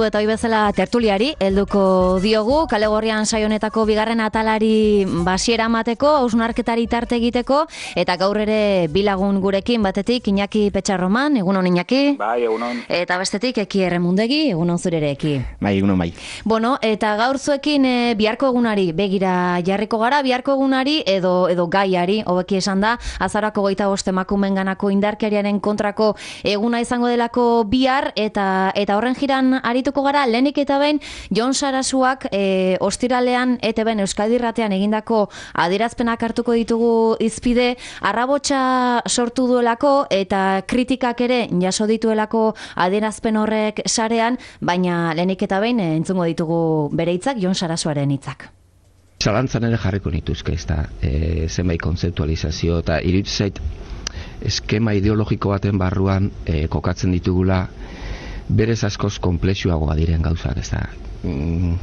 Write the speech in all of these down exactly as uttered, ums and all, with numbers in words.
Eta hoi bezala tertuliari, helduko diogu, kale gorrian saionetako bigarren atalari basiera mateko, hausnarketari tarte egiteko, eta gaur ere bilagun gurekin batetik, Iñaki Petxarroman, egunon Iñaki? Bai, egunon. Eta bestetik, Eki Erremundegi, egunon zurere Eki? Bai, egunon bai. Bueno, eta gaur zuekin e, biharko egunari, begira jarriko gara, biharko egunari edo edo gaiari, hobeki esan da, azarako goita bost emakumen ganako indarkeriaren kontrako eguna izango delako bihar, eta eta horren jiran aritu gara, lehenik eta behin Jon Sarasuak e, ostiralean E T B Euskadi Irratean egindako adierazpenak hartuko ditugu izpide, arrabotsa sortu duelako eta kritikak ere jaso dituelako adierazpen horrek sarean, baina lehenik eta behin e, entzungo ditugu bere hitzak, Jon Sarasuaren hitzak. Zalantzan ere jarriko nituzke, ez da, e, zenbait kontzeptualizazio eta iruditzen zait eskema ideologiko baten barruan e, kokatzen ditugula berez askoz konplexuagoa diren gauzak, ez da. Mm,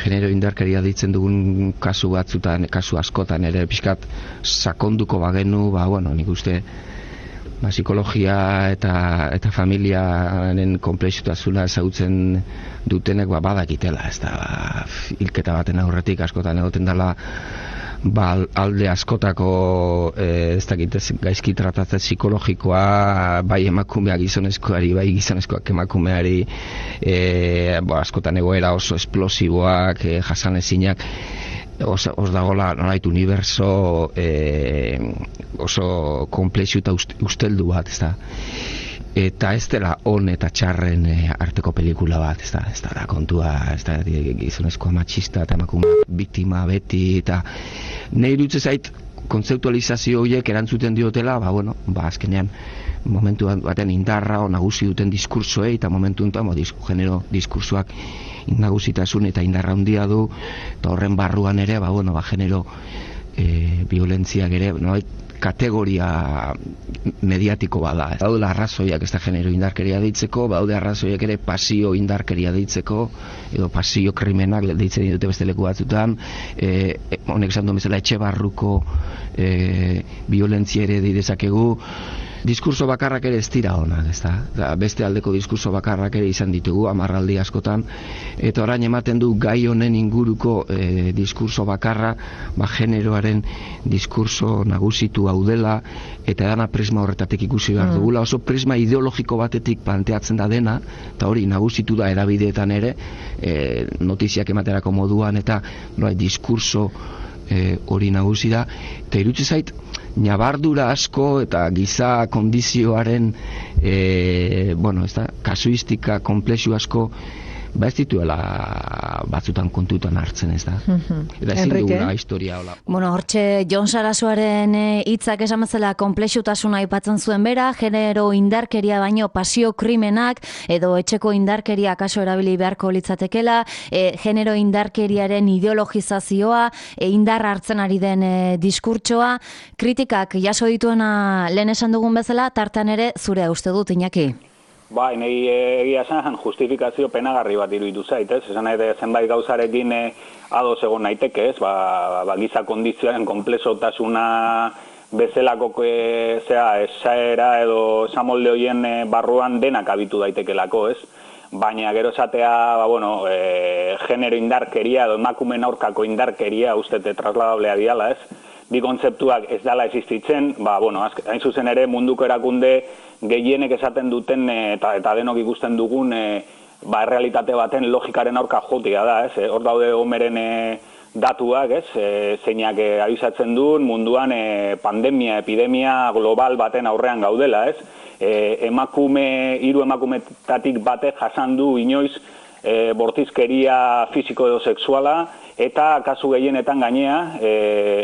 genero indarkeria ditzen dugun kasu batzutan, kasu askotan ere pixkat sakonduko bagenu, ba, bueno, nik uste ba, psikologia eta eta familiaren konplexutasuna ezagutzen dutenek ba, badakitela, ez da, ba, hilketa baten aurretik askotan egoten dela ba, alde askotako e, ez dakit gaizki tratatze psikologikoa bai emakumea gizonezkoari, bai gizonezkoak emakumeari, e, bo, askotan egoera oso esplosiboak, e, jasanezinak, os, os dagoela nolait uniberso e, oso komplexu eta usteldu bat, ez da. Eta ez dela on eta txarren e, arteko pelikula bat, ez da, ez da, kontua, ez da, gizonezkoa matxista eta emakume biktima beti, eta nahi dutze zait kontzeptualizazio horiek erantzuten diotela, ba, bueno, ba, azkenean momentu baten indarra o nagusi duten diskursoei, eta momentu enten, bo, disk, genero diskursoak nagusitasun eta indarra handia du, eta horren barruan ere, ba, bueno, ba, genero e, violentziak ere, no, kategoria mediatiko bada. Daude arrazoiak ez da genero indarkeria deitzeko, daude arrazoiak ere pasio indarkeria deitzeko, edo pasio krimenak deitzen dute beste leku batzutan, e, honek esan duen bezala etxe barruko e, violentzia ere dezakegu. Diskurso bakarrak ere ez dira honak, ez da? Beste aldeko diskurso bakarrak ere izan ditugu, amarraldi askotan, eta orain ematen du gai honen inguruko e, diskurso bakarra, ba, generoaren diskurso nagusitu hau dela, eta edana prisma horretatik ikusi behar dugula, oso prisma ideologiko batetik planteatzen da dena, eta hori nagusitu da erabideetan ere, e, notiziak ematerako moduan, eta no, diskurso e, hori nagusi da, eta irutze zait, nabardura asko eta giza kondizioaren e, bueno, ez da, kasuistika komplexu asko ba ez dituela batzutan kontutan hartzen, ez da. Eta ezin dugula historia hola. Bueno, hortxe Jon Sarasuaren hitzak esan bezala konplexutasuna aipatzen zuen bera, genero indarkeria baino pasio krimenak edo etxeko indarkeria kaso erabili beharko litzatekela, e, genero indarkeriaren ideologizazioa, e, indar hartzen ari den e, diskurtsoa, kritikak jaso dituena lehen esan dugun bezala, tartan ere zure uste dut, Iñaki. Bai, nahi egia esan justifikazio penagarri bat iruditu zait, ez? Esan nahi zenbait gauzarekin eh, ados egon naiteke, ez? Ba, ba, giza kondizioaren konplexotasuna bezalako e, zera, esaera edo esamolde horien e, barruan denak abitu daitekelako, ez? Baina gero esatea, ba, bueno, e, genero indarkeria edo emakumeen aurkako indarkeria ustete trasladablea diala, ez? Bi kontzeptuak ez dala existitzen, ba, bueno, hain zuzen ere munduko erakunde gehienek esaten duten eta, eta denok ikusten dugun e, ba, realitate baten logikaren aurka jotia da, ez? Hor daude omeren e, datuak, ez? E, zeinak e, abisatzen duen munduan e, pandemia, epidemia global baten aurrean gaudela, ez? E, emakume, hiru emakumetatik batek jasan du inoiz e, bortizkeria fisiko edo sexuala, eta kasu gehienetan gainea, e,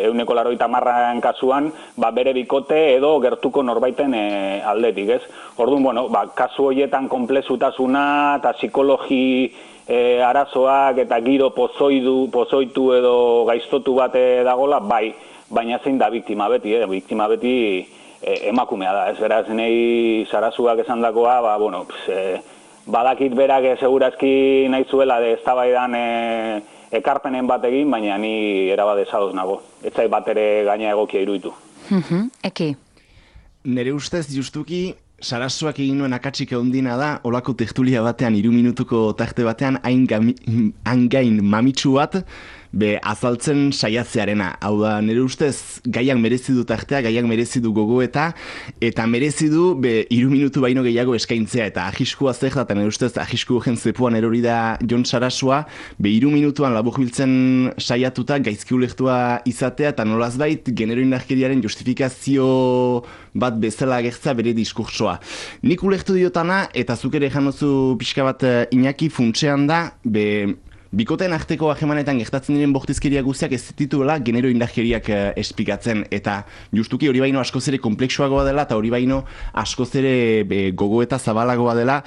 ehuneko laurogeita hamarren kasuan, ba, bere bikote edo gertuko norbaiten e, aldetik, ez? Orduan, bueno, ba, kasu horietan konplexutasuna eta psikologi e, arazoak eta giro pozoidu, pozoitu edo gaiztotu bate dagola, bai, baina zein da biktima beti, eh? Biktima beti e, emakumea da, ez? Beraz, nahi Sarasuak esan dakoa, ba, bueno, pss, e, badakit berak segurazki nahi zuela de eztabaidan e, ekarpenen bat egin, baina ni erabade zadoz nago. Ez zait bat ere gaina egokia iruditu. Eki. Nere ustez, justuki, Sarasuak egin nuen akatsik ehondina da, olako tertulia batean, hiru minutuko tarte batean, hain, gami, hain gain mamitsu bat, be azaltzen saiatzearena. Hau da, nire ustez, gaiak merezi du tartea, gaiak merezi du gogoeta, eta merezi du, be, hiru minutu baino gehiago eskaintzea, eta ahiskua zer da, eta nire ustez, ahisku gen zepuan erori da Jon Sarasua, be, hiru minutuan laburbiltzen saiatuta, gaizki ulektua izatea, eta nolazbait, genero indarkeriaren justifikazio bat bezala agertza bere diskursoa. Nik ulektu diotana, eta zuk ere janozu pixka bat Iñaki funtsean da, be, bikoteen arteko hagemanetan gertatzen diren bortizkeria guztiak ez dituela genero indarkeriak uh, espikatzen, eta justuki hori baino askoz ere kompleksuagoa dela, eta hori baino askoz ere be, gogoeta zabalagoa dela,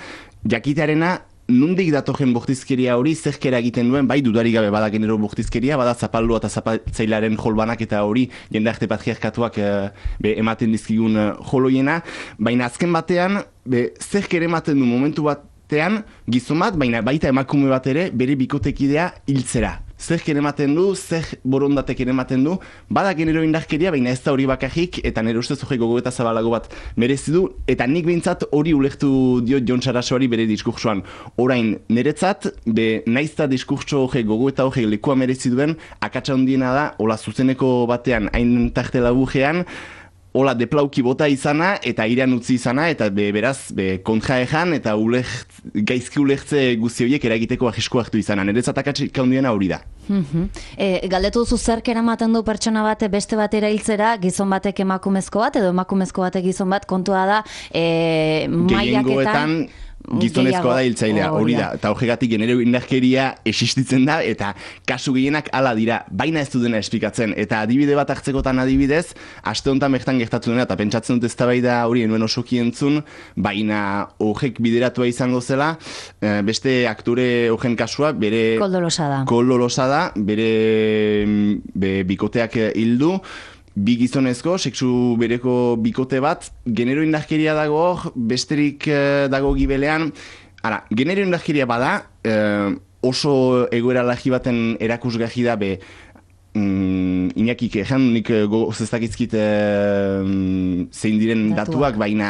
jakitearena nondik datorren bortizkeria hori zerkera egiten duen, bai dudarik gabe bada genero bortizkeria, bada zapaldua eta zapatzailaren jolbanak eta hori jende arte patriarkatuak uh, be, ematen dizkigun uh, joloiena, baina azken batean be, zerkera ematen du momentu bat tean, gizon bat, baina baita emakume bat ere, bere bikotekidea hiltzera. Zer ematen du, zer borondatek ematen du, bada genero indarkeria, baina ez da hori bakarrik, eta nire ustez hori gogoeta zabalago bat merezi du, eta nik behintzat hori ulektu diot Jon Sarasuari bere diskursoan. Orain, niretzat, be naizta diskurso hori gogoeta hori lekua merezi duen, akatsa handiena da, hola zuzeneko batean, hain tarte labujean, hola deplauki bota izana eta iran utzi izana eta be, beraz be, kontra ejan eta ulekt, gaizki ulertze guzti horiek eragiteko ahisko hartu izana. Niretzat akatsik handiena hori da. Mm-hmm. E, galdetu duzu zerk eramaten du pertsona bat beste batera hiltzera, gizon batek emakumezko bat edo emakumezko batek gizon bat, kontua da e, mailaketan gizonezkoa da hiltzailea, hori da, eta horregatik genero indarkeria existitzen da, eta kasu gehienak hala dira, baina ez du dena esplikatzen, eta adibide bat hartzekotan adibidez, aste honetan bertan gertatu dena, eta pentsatzen dut eztabaida hori enuen osoki entzun, baina horrek bideratua izango zela, beste aktore horren kasua, bere Koldolosa da, Koldolosa da bere be, bikoteak hildu, bi gizonezko, sexu bereko bikote bat, genero indarkeria dago hor, besterik uh, dago gibelean. Ara, genero indarkeria bada, uh, oso egoera lagi baten erakusgarri da be, mm, Iñakik ejan, nik gozestakizkit uh, zein diren datuak, datuak baina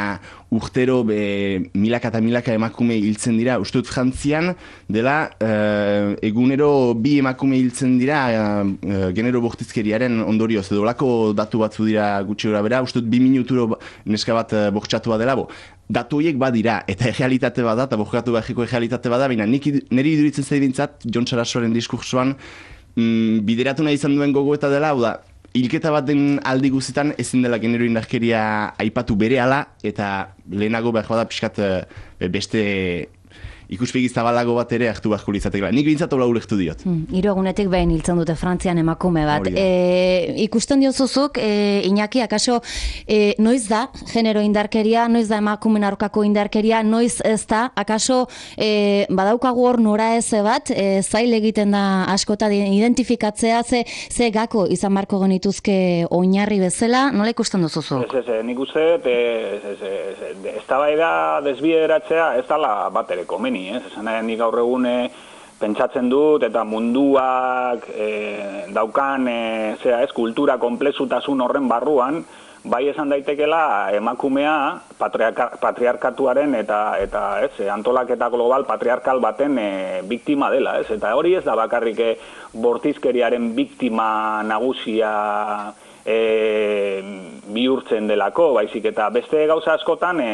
urtero be, milaka eta milaka emakume hiltzen dira. Uste dut Frantzian dela uh, egunero bi emakume hiltzen dira uh, genero bortizkeriaren ondorioz. Edo lako datu batzu dira gutxi gora bera, uste dut bi minuturo neska bat uh, bortxatua dela. Bo. Datu horiek badira, eta errealitate bada, eta borkatu behiko errealitate bada, baina niri iduritzen zaibintzat, Jon Sarasuaren diskursoan, mm, bideratu nahi izan duen gogoeta dela, hau da, hilketa bat den aldi guztietan ezin dela genero indarkeria aipatu berehala, eta lehenago behar bada pixkat beste ikuspegi zabalago bat ere hartu beharko litzatekela. Nik bintzat hola ulektu diot. Hmm, hiru egunetik behin hiltzen dute Frantzian emakume bat. E, ikusten diozuzuk, e, Iñaki, akaso, e, noiz da genero indarkeria, noiz da emakumen aurkako indarkeria, noiz ez da, akaso e, badaukagu hor nora eze bat, e, zail egiten da askota identifikatzea, ze, ze gako izan marko genituzke oinarri bezala, nola ikusten duzuzu? Ez, ez, nik uste, ez da bai da desbideratzea, ez dala bat ere komeni. Ez esan nik gaur egun pentsatzen dut eta munduak e, daukan e, zera ez, kultura konplexutasun horren barruan, bai esan daitekela emakumea patriarka, patriarkatuaren eta eta ez, antolaketa global patriarkal baten e, biktima dela, ez? Eta hori ez da bakarrik e, bortizkeriaren biktima nagusia E, bihurtzen delako, baizik eta beste gauza askotan e,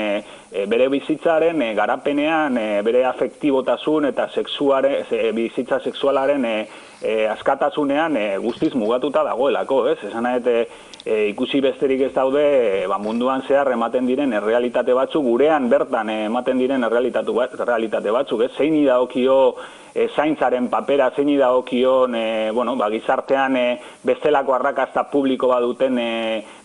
e, bere bizitzaren e, garapenean, e, bere afektibotasun eta sexuare, e, bizitza sexualaren e, e, askatasunean e, guztiz mugatuta dagoelako, ez? Esan nahi, e, e, ikusi besterik ez daude e, ba, munduan zehar ematen diren errealitate batzuk, gurean bertan e, ematen diren errealitate batzuk, ez? Zein dagokio E, zaintzaren papera, zein dagokion e, bueno, ba, gizartean e, bestelako arrakasta publiko baduten e,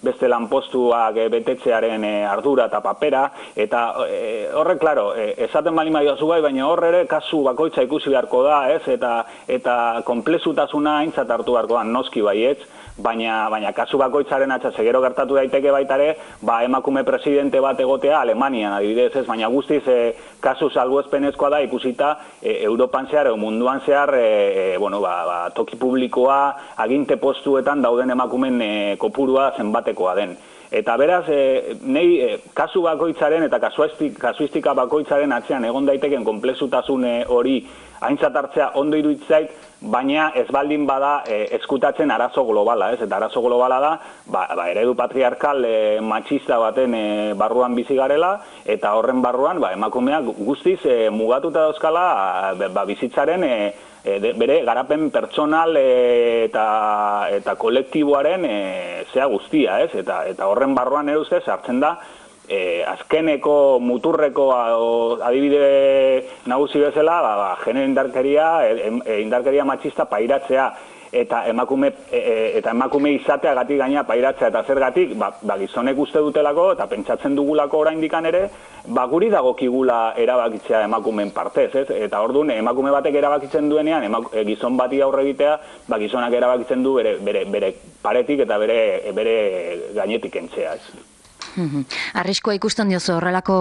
beste lanpostuak e, betetzearen e, ardura eta papera, eta e, horre, klaro, e, esaten bali maioazu bai, baina horre ere kasu bakoitza ikusi beharko da, ez, eta, eta konplexutasuna aintzat hartu beharko da, noski baietz, baina, baina kasu bakoitzaren atxase gero gertatu daiteke baitare, ba, emakume presidente bat egotea Alemanian adibidez, ez, baina guztiz e, kasu salbuespenezkoa da ikusita e, Europan zehar, edo munduan zehar, e, bueno, ba, ba, toki publikoa, aginte postuetan dauden emakumen e, kopurua zenbatekoa den. Eta beraz, e, nei e, kasu bakoitzaren eta kasuistika bakoitzaren atzean egon daiteken konplexutasun hori aintzat hartzea ondo iruditzait, baina ez baldin bada e, eskutatzen arazo globala, ez? Eta arazo globala da, ba, ba, eredu patriarkal e, matxista baten e, barruan bizi garela, eta horren barruan ba, emakumeak guztiz e, mugatuta dauzkala ba, bizitzaren e, e, de, bere garapen pertsonal e, eta, eta kolektiboaren e, zea guztia, ez? Eta, eta horren barruan ere ustez hartzen da, E, azkeneko muturreko adibide nagusi bezala, ba, ba, genero indarkeria, e, indarkeria matxista pairatzea eta emakume e, eta emakume izateagatik gaina pairatzea eta zergatik, ba, ba gizonek uste dutelako eta pentsatzen dugulako oraindikan ere, ba guri dagokigula erabakitzea emakumeen partez, ez? Eta orduan emakume batek erabakitzen duenean, emak, e, gizon bati aurre egitea, ba gizonak erabakitzen du bere, bere, bere paretik eta bere, bere gainetik kentzea, ez? Arriskoa ikusten diozu horrelako,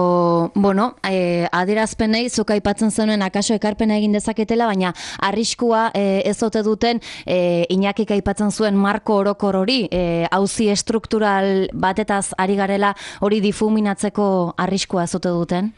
bueno, eh, adierazpenei zuk aipatzen zenuen akaso ekarpena egin dezaketela, baina arriskua eh, ez ote duten eh, Iñakik aipatzen zuen marko orokor hori, eh, auzi estruktural batetaz ari garela hori difuminatzeko arriskua ez ote duten?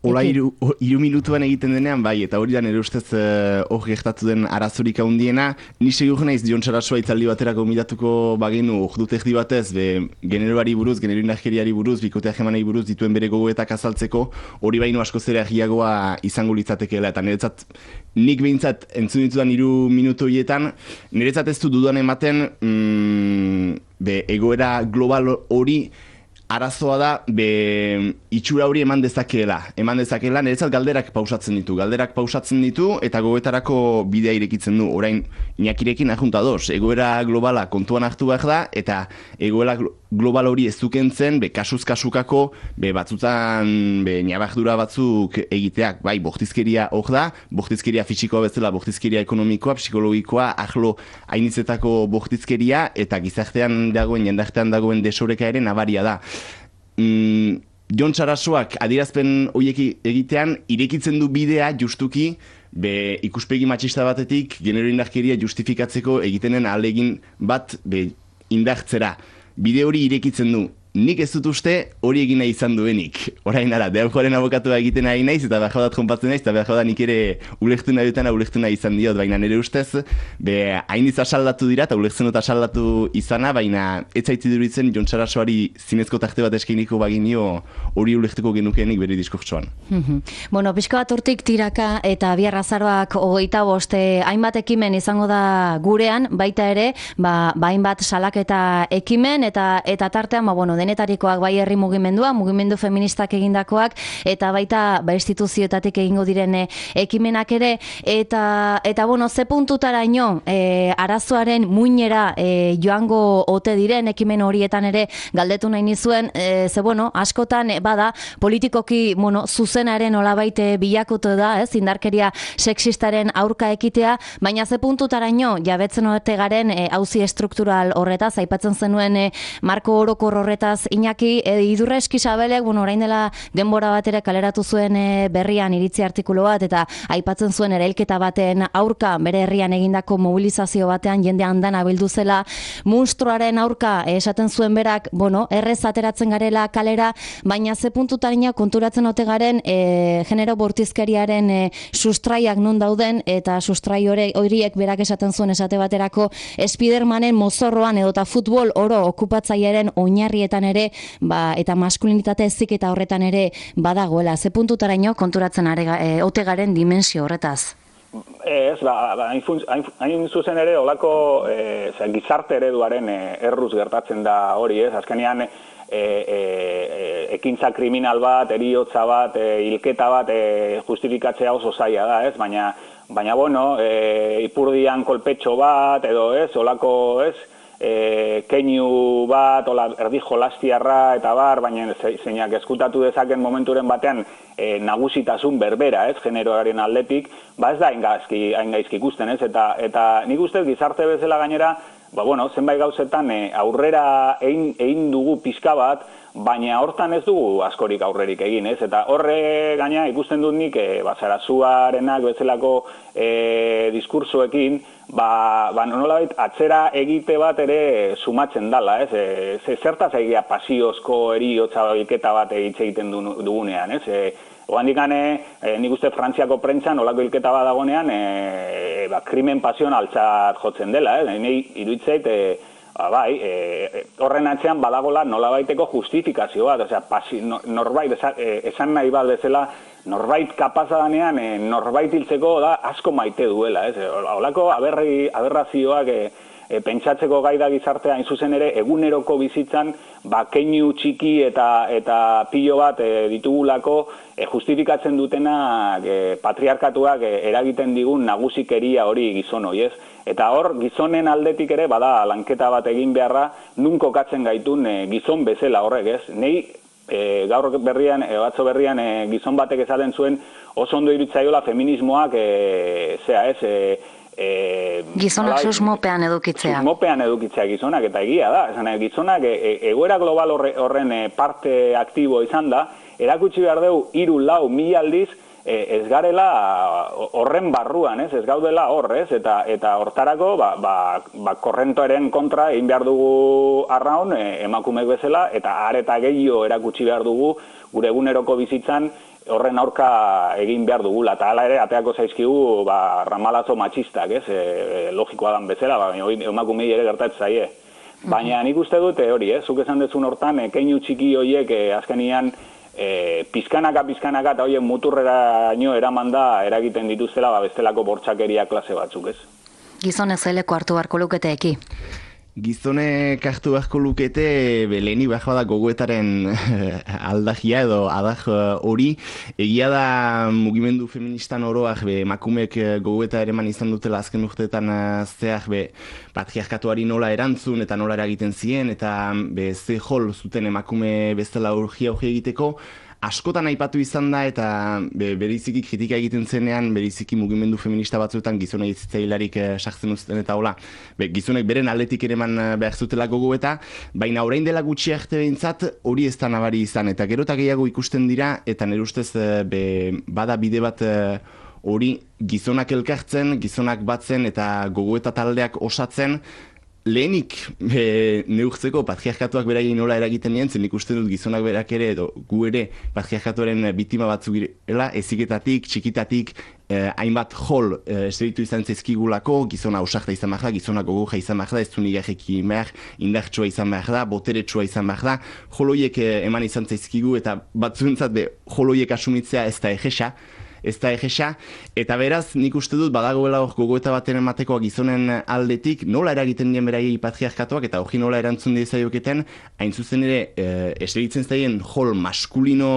Ola iru, iru minutuan egiten denean, bai, eta hori da nire ustez uh, hori gertatu den arazorik handiena. Ni segur naiz Jon Sarasua itzaldi baterako midatuko bagenu ordute erdi batez, be, generoari buruz, genero indarkeriari buruz, bikote hegemanei buruz dituen bere gogoetak azaltzeko, hori baino asko zera egiagoa izango litzatekeela, eta niretzat, nik behintzat entzun ditudan iru minutu horietan, niretzat ez du dudan ematen, mm, be, egoera global hori, arazoa da, be, itxura hori eman dezakeela. Eman dezakeela, niretzat galderak pausatzen ditu. Galderak pausatzen ditu, eta gogoetarako bidea irekitzen du. Orain, Iñakirekin ajunta dos. Egoera globala kontuan hartu behar da, eta egoera global hori ez dukentzen, be, kasuz-kasukako, be, batzutan, be, nabardura batzuk egiteak. Bai, bortizkeria hor da, bortizkeria fisikoa bezala, bortizkeria ekonomikoa, psikologikoa, ahlo hainitzetako bortizkeria, eta gizartean dagoen, jendartean dagoen desoreka ere nabaria da. Mm, Jon Sarasuak adierazpen horiek egitean irekitzen du bidea justuki be, ikuspegi matxista batetik genero indarkeria justifikatzeko egitenen ahalegin bat be, indartzera. Bide hori irekitzen du. Nik ez dut uste hori egin nahi izan duenik. Orain ara, deaujoaren abokatua egiten nahi naiz, eta behar jodat jonpatzen naiz, eta behar jodat nik ere ulektu nahi dutena ulektu nahi izan diot, baina nire ustez, be, hain iz asaldatu dira, eta ulektzen dut asaldatu izana, baina ez zaiti duritzen Jon Sarasuari zinezko tarte bat eskainiko baginio hori ulektuko genukeenik bere diskurtsoan. Bueno, pixka bat urtik tiraka eta bihar azaroak hogeita boste hainbat ekimen izango da gurean, baita ere, ba, ba hainbat salaketa ekimen, eta eta tartean, ba, bueno, denetarikoak bai herri mugimendua, mugimendu feministak egindakoak, eta baita ba, instituzioetatik egingo diren ekimenak ere, eta, eta bueno, ze puntutaraino e, arazoaren muinera e, joango ote diren ekimen horietan ere galdetu nahi nizuen, e, ze bueno, askotan e, bada, politikoki bueno, zuzenaren olabait bilakotu da, ez, indarkeria sexistaren aurka ekitea, baina ze puntutaraino jabetzen ote garen e, auzi estruktural horretaz, aipatzen zenuen e, marko orokor horretaz Iñaki, e, Idurra Eskisabelek, bueno, orain dela denbora bat ere kaleratu zuen e, berrian iritzi artikulu bat, eta aipatzen zuen erailketa baten aurka, bere herrian egindako mobilizazio batean jende andana bildu zela, munstruaren aurka e, esaten zuen berak, bueno, errez ateratzen garela kalera, baina ze puntutarina konturatzen ote garen e, genero bortizkeriaren e, sustraiak non dauden, eta sustrai horiek berak esaten zuen esate baterako Spidermanen mozorroan edota futbol oro okupatzailearen oinarrietan ere, ba, eta maskulinitate ezik eta horretan ere badagoela. Ze puntutaraino konturatzen are, e, ote garen dimensio horretaz? Ez, ba, ba, hain zuzen ere, olako e, gizarte ereduaren e, erruz gertatzen da hori, ez? Azkenean, e, e, e, ekintza kriminal bat, eriotza bat, e, hilketa bat e, justifikatzea oso zaila da, ez? Baina, baina bueno, e, ipurdian kolpetxo bat, edo ez, olako, ez? E, keinu bat, ola, erdi jolastiarra eta bar, baina zeinak eskutatu dezaken momenturen batean e, nagusitasun berbera, ez, generoaren aldetik, ba ez da hain gaizki ikusten, ez, eta, eta nik ustez gizarte bezala gainera, ba bueno, zenbait gauzetan e, aurrera egin, egin dugu pixka bat, baina hortan ez dugu askorik aurrerik egin, ez? Eta horre gaina ikusten dut nik, e, ba, Sarazuarenak bezalako e, diskursoekin, ba, ba nolabait atzera egite bat ere sumatzen dala, ez? E, ze, zertaz egia pasiozko eriotza hilketa bat hitz egiten dugunean, ez? E, Oandikane, e, nik uste Frantziako prentxan olako hilketa bat dagonean, e, ba, krimen pasionaltzat jotzen dela, ez? Nei iruditzait, e, ba, bai, e, horren atzean badagola nolabaiteko justifikazio bat, osea, pasi, no, norbait, esan, esan nahi bat bezala, norbait kapaza danean, e, norbait hiltzeko da asko maite duela, ez? Olako aberri, aberrazioak e, e, pentsatzeko gai da gizartea hain zuzen ere, eguneroko bizitzan, ba, keinu txiki eta, eta pilo bat e, ditugulako, e, justifikatzen dutenak e, patriarkatuak e, eragiten digun nagusikeria hori gizon hori, ez? Eta hor, gizonen aldetik ere, bada, lanketa bat egin beharra, nun kokatzen gaitun e, gizon bezala horrek, ez? Nei, e, gaur berrian, e, batzo berrian, e, gizon batek esaten zuen, oso ondo irutzaiola feminismoak, e, zea, ez? E, E, gizonak ala, susmopean edukitzea. Susmopean edukitzea gizonak, eta egia da. Esan, gizonak e, e, egoera global horre, horren e, parte aktibo izan da, erakutsi behar dugu hiru lau mila aldiz e, ez garela horren barruan, ez, ez gaudela hor, ez, eta, eta hortarako ba, ba, ba, korrentoaren kontra egin behar dugu arraun e, emakumeek bezala, eta areta gehiago erakutsi behar dugu gure eguneroko bizitzan horren aurka egin behar dugula, eta hala ere ateako zaizkigu ba, ramalazo matxistak, ez, e, e, logikoa dan bezala, ba, emakumei ere gertatzen zaie. Baina nik uste dute hori, ez, zuk esan dezun hortan, e, keinu txiki horiek e, azkenian e, pizkanaka, pizkanaka, eta horiek muturrera nio eraman da eragiten dituztela, ba, bestelako bortxakeria klase batzuk, ez. Gizonez zeleko hartu beharko lukete eki. Gizonek hartu beharko lukete, leheni behar da gogoetaren aldagia edo adak hori. Egia da mugimendu feministan oroak, be, emakumeek gogoeta ereman izan dutela azken urteetan zeak, be, patriarkatuari nola erantzun eta nola eragiten zien, eta be, ze jol zuten emakume bezala urgia hori egiteko. Askotan aipatu izan da eta be, beriziki kritika egiten zenean, beriziki mugimendu feminista batzuetan gizona hitzitzailarik eh, sartzen uzten eta hola. Be, gizonek beren aldetik ereman behar zutela gogoeta, baina orain dela gutxi arte behintzat hori ez da nabari izan. Eta gero eta gehiago ikusten dira, eta nire ustez be, bada bide bat hori gizonak elkartzen, gizonak batzen eta gogoeta taldeak osatzen, lehenik e, neurtzeko patriarkatuak beraien nola eragiten nien, zen ikusten dut gizonak berak ere, edo gu ere patriarkatuaren biktima batzuk girela, eziketatik, txikitatik, eh, hainbat jol eh, esteritu izan zaizkigulako, gizona ausarta izan behar da, gizona gogoja izan behar da, ez du nigarreki behar, indartsua izan behar da, boteretsua izan behar da, joloiek eh, eman izan zaizkigu, eta batzuentzat be, joloiek asumitzea ez da egesa, ez da egesa, eta beraz nik uste dut badagoela hor gogoeta baten ematekoa gizonen aldetik, nola eragiten dien beraiei patriarkatuak eta hori nola erantzun diezaioketen, hain zuzen ere, e, eseritzen zaien jol maskulino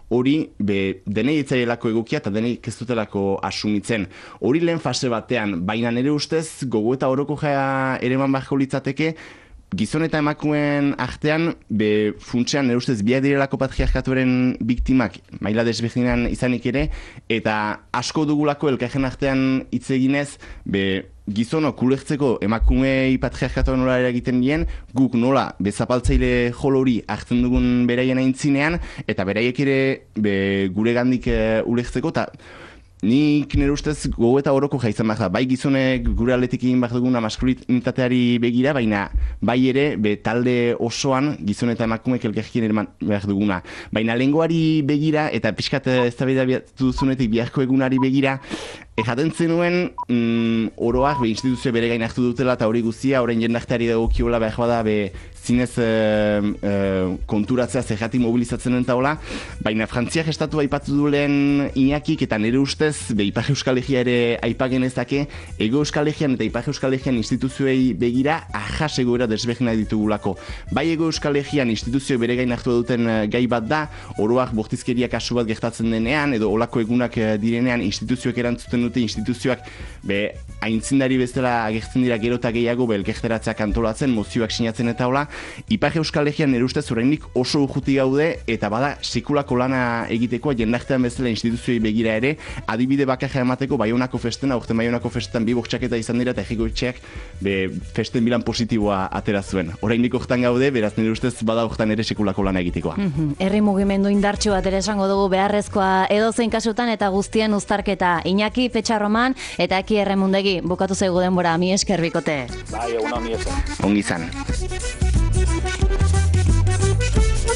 hori be, denei etzaielako egokia eta denei ez dutelako asumitzen. Hori lehen fase batean, baina nire ustez gogoeta oroko jaia ereman beharko litzateke, gizon eta emakumeen artean, be funtsean nire ustez biak direlako patriarkatuaren biktimak maila desberdinean izanik ere, eta asko dugulako elkarren artean hitz eginez, be gizonok ulertzeko emakumei patriarkatuan nola eragiten dien, guk nola bezapaltzaile jol hori hartzen dugun beraien aintzinean, eta beraiek ere be, gure gandik uh, ulertzeko, eta nik nire ustez gogoeta oroko jaizan behar da. Bai gizonek gure aldetik egin behar duguna maskulinitateari begira, baina bai ere be, talde osoan gizon eta emakumek elkarkien eraman behar duguna. Baina lehengoari begira eta pixkat eztabaidatu duzunetik biharko egunari begira, jaten zenuen mm, oroak be, instituzio bere gain hartu dutela eta hori guztia, orain jendarteari dagokiola behar bada be, zinez e, e, konturatzea zergatik mobilizatzen den taola, baina Frantziak estatu aipatu du lehen Iñakik eta nire ustez be, Ipar Euskal Herria ere aipagenezake, Ego Euskal Herrian eta Ipar Euskal Herrian instituzioei begira ahas egoera desberdina ditugulako. Bai Ego Euskal Herrian instituzio bere gain hartu duten gai bat da, oroak bortizkeria kasu bat gertatzen denean, edo olako egunak direnean instituzioek erantzuten dute instituzioak be, aintzindari bezala agertzen dira gero eta gehiago belkejteratzeak antolatzen, mozioak sinatzen eta hola, Ipar Euskal Herrian nire ustez oraindik oso urruti gaude, eta bada sekulako lana egitekoa jendartean bezala instituzioei begira ere, adibide bakarra emateko Baionako festen, aurten Baionako festetan bi bortxaketa izan dira eta Ejikoetxeak be festen bilan positiboa atera zuen. Oraindik hortan gaude, beraz nire ustez bada hortan ere sekulako lana egitekoa. Herri mugimendu indartsu bat ere esango dugu beharrezkoa edozein kasutan eta guztien uztarketa. Iñaki Petxarroman eta Eki Erremundegi bukatu zaigu denbora, mi esker bikote. Bai, egun honi esker. Ongi izan.